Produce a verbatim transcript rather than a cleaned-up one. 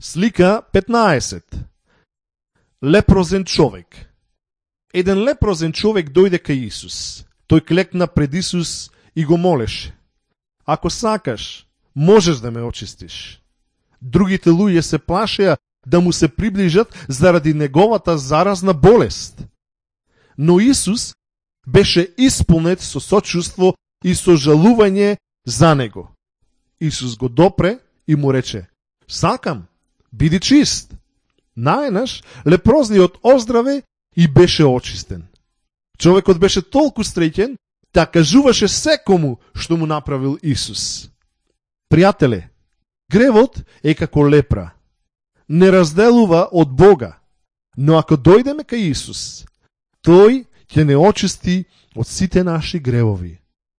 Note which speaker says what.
Speaker 1: Слика петнаесет. Лепрозен човек. Еден лепрозен човек дојде кај Исус. Тој клекна пред Исус и го молеше: ако сакаш, можеш да ме очистиш. Другите луѓе се плашеа да му се приближат заради неговата заразна болест. Но Исус беше исполнет со сочувство и со жалување за него. Исус го допре и му рече: сакам, биди чист. Наеднаш лепрозниот оздраве и беше очистен. Човекот беше толку среќен да кажуваше секому што му направил Исус. Пријателе, гревот е како лепра. Не разделува од Бога, но ако дојдеме кај Исус, тој ќе не очисти од сите наши гревови.